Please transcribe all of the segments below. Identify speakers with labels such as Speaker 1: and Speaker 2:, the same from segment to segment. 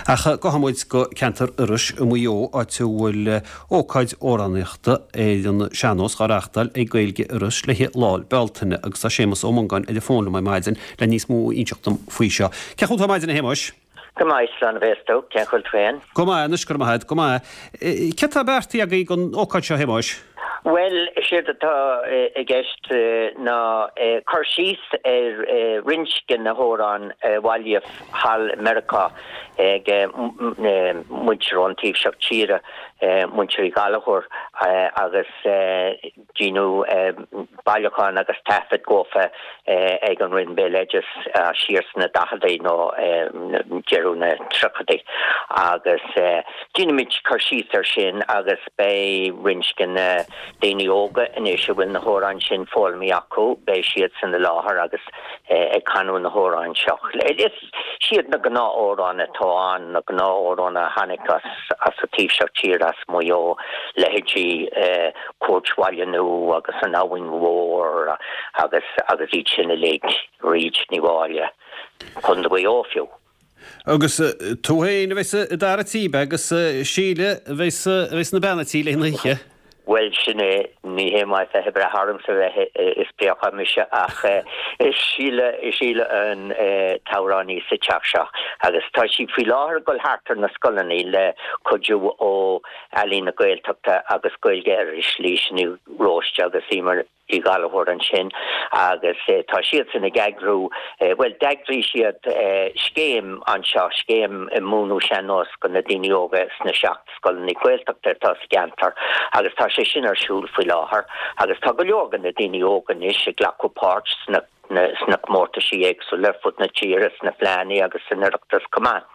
Speaker 1: Ach gabhfaidh muid go ceantar Iorrais i Maigh Eo, áit a bhfuil ócáid amhránaíochta ar an sean-nós á reáchtáil ag Gaeilge Iorrais le haghaidh Lá Bealtaine agus tá Séamus Ó Mongáin ar an bhfón liom ar maidin le níos mó a inseacht dom faoi seo. Cén chaoi a bhfuil tú ar maidin a Shéamuis?
Speaker 2: Go maith, slán a bheas tú. Cén chaoi a bhfuil tú féin?
Speaker 1: Go maith anois, go raibh maith agat, go maith. Céard tá beartaithe agaibh don ócáid seo, a Shéamuis?
Speaker 2: Bhuel, is éard atá i gceist ná cur síos ar roinnt de na hamhráin a bailíodh thall i Meiriceá ag muintir ón taobh seo tíre, muintir Uí Ghallchóir, agus Deineadh bailiúchán agus taifead dhófa ag an Roinn Béaloideas siar sna daicheadaí nó deireadh na tríochadaí agus déanfaimid cur síos air sin agus beidh roinnt de na daoine óga anois a bhfuil na hamhráin sin foghlamtha acu, beidh siadsan i láthair agus ag canadh na hamhráin seo. Siad na gnáth-amhráin atá ann, na gnáth-amhráin a tháinig as an taobh seo tíre, as Maigh Eo, leithéidí Cúirt Bhaile Nua agus An Abhainn Mhór agus agus iad sin uilig, Bríd Ní Mháille, Contae Mhaigh Eo fiú.
Speaker 1: Agus tú féin a bheas i d'fhear a' tí, agus Síle a bheas a bheas ina bean a' tí le haghaidh na hoíche.
Speaker 2: Bhuel, sin é, ní hé maith bheith ag brath ormsa a bheith ag spréachadh mise ach is Síle, is Síle an t-amhránaí sa teach seo agus tá sí faoi láthair ag dul thart ar na scoileanna le cuidiú ó Ealaín na Gaeltachta agus Gaeilge Iorrais, Laoise Ní Róiste agus Emer Uí Ghallchóir ansin agus tá siadsan ag eagrú, bhuel d'eagraigh siad scéim anseo, scéim i múineadh sean-nós go na daoine óga sna 7 scoileanna Gaeltachta atá sa gceantar agus tá sé sin ar siúl faoi láthair agus tá go leor de na daoine óga anois ag glacadh páirt sna sna comórtaisí éagsúla ar fud na tíre, sna fleánna agus san Oireachtas chomh maith.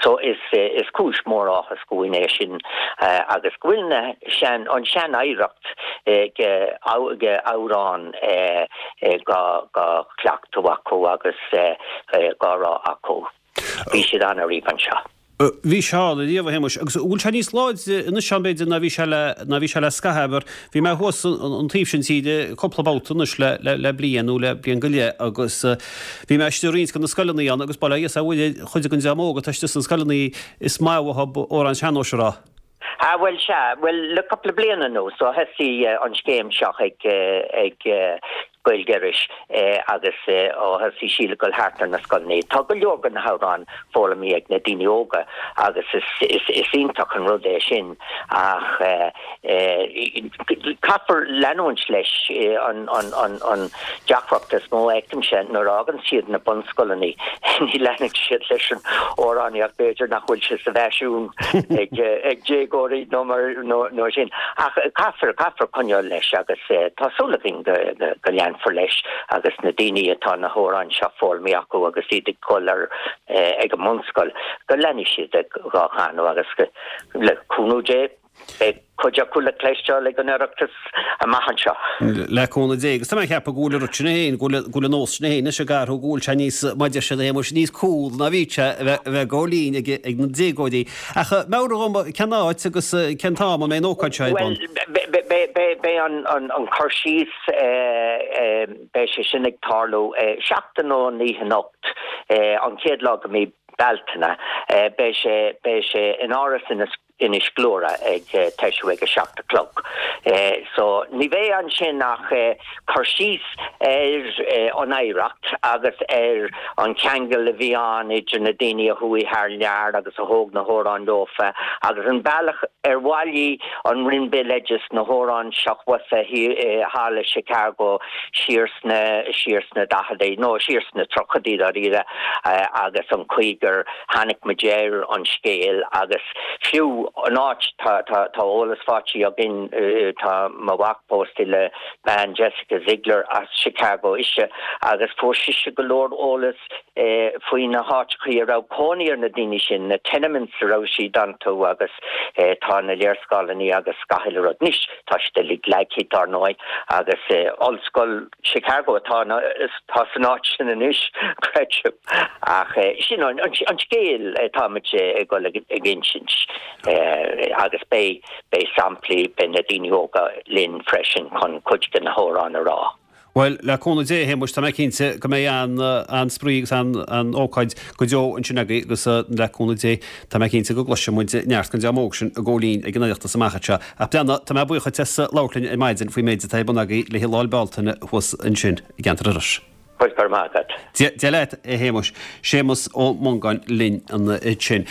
Speaker 2: So is is cúis mór áthas dhúinn é sin agus go bhfuil na sean an sean-oidhreacht de de amhráin dhá dhá chleachtadh acu agus dhá rá acu. Bhí siad ann ariamh anseo.
Speaker 1: Bhí sé ann ariamh, a Shéamuis, agus an bhfuil sé níos láidre anois ann b'fhéidir ná bhí sé le ná bhí sé le scaitheamh mar bhí mé thuas an taobh sin tíre cúpla babhta anois le le le bliain nó le bliain go leith agus Bhí mé istigh i roinnt de na scoileanna ann agus bail ó Dhia is ar Mhuire chuid den dream óg atá istigh sna scoileanna is maith uathu amhráin sean-nóis a rá.
Speaker 2: Ah bhuel sea, bhuel le cúpla bliain anuas ó thosaigh an scéim seo ag ag Gaeilge Iorrais agus ó thosaigh Síle ag dul thart ar na scoileanna tá go leor de na hamhráin foghlamtha ag na daoine óga agus is is is iontach an rud é sin ach Caithfear leanúint leis. An deacracht is mó a fheicimse nuair a fhágann siad na bunscoileanna, ní leanann siad leis an amhránaíocht, b'fhéidir nach bhfuil sé sa bhfaisean ag déagóirí nó mar sin. Ach caithfear, caithfear coinneáil leis agus tá súil againn go leanfar leis agus na daoine atá na hamhráin seo foghlamtha acu agus iad ag dul ar ag an mbunscoil, go leanfaidh siad dhá chanadh agus le cúnamh Dé. Beidh cuid acu le cloisteáil ag an Oireachtas amach anseo.
Speaker 1: Le cúnamh Dé. Agus tá mé ag ceapadh go bhfuil an rud sin féin, go bhfuil an nós sin féin anois ag athrú, go bhfuil sé níos, mar a deir siad a Shéamuis, níos cool ná bhí sé a bheith ag gabháil fhoinn ag na déagóirí. Ach meabhraigh dhom cén áit agus cén t-am a mbeidh an ócáid seo ar bun?
Speaker 2: Bhuel, beidh an cur síos, beidh sé sin ag tarlú seachtain ón oíche anocht, an chéad lá de mhí Bealtaine. Beidh sé, beidh sé in Áras Inis. Inis Gluaire ag toisiú ag a 7 a chlog. So ní bheidh ansin ach cur síos ar an oidhreacht agus ar an cheangal a bhí ann idir na daoine a chuaigh thar lear agus a thóg na hamhráin leofa agus an bealach ar bhailigh an Roinn Béaloideas na hamhráin seo uafa thall i Chicago siar sna siar sna daicheadaí nó siar sna tríochaidí dáiríre agus an chaoi gur tháinig muid ar an scéal agus fiú an áit, tá, tá, tá eolas faighte againn, tá mo mhac pósta le bean Jessica Ziegler as Chicago ise agus fuair sise go leor eolas faoi na háiteachaí a raibh cónaí ar na daoine sin, na tenements a raibh siad iontu agus tá na léarscáileanna agus gach uile rud. Anois tá siad uilig leagtha dar ndóigh agus ollscoil Chicago atá atá san áit sin anois, creidim. Ach sin an scéal atáimid ag dul ag insint agus beidh beidh samplaí, beidh na daoine óga linn freisin chun cuid de na hamhráin a rá.
Speaker 1: Bhuel, le cúnamh Dé, a Shéamuis, tá mé cinnte go mbeidh an-spraoi agus an-ócáid go deo ansin agaibh agus le cúnamh Dé, tá mé cinnte go gcloisfidh muid neart den dream óg sin ag gabháil fhoinn ag an Oireachtas amach anseo. Ach Breandán, tá mé buíoch duit as labhairt linn ar maidin faoin méid atá ar bun agaibh le haghaidh Lá 'le Bealtaine thuas ansin i gceantar Iorrais.
Speaker 2: Bhuel, go raibh maith agat.
Speaker 1: Dia leat, a Shéamuis. Séamus Ó Mongáin linn ansin.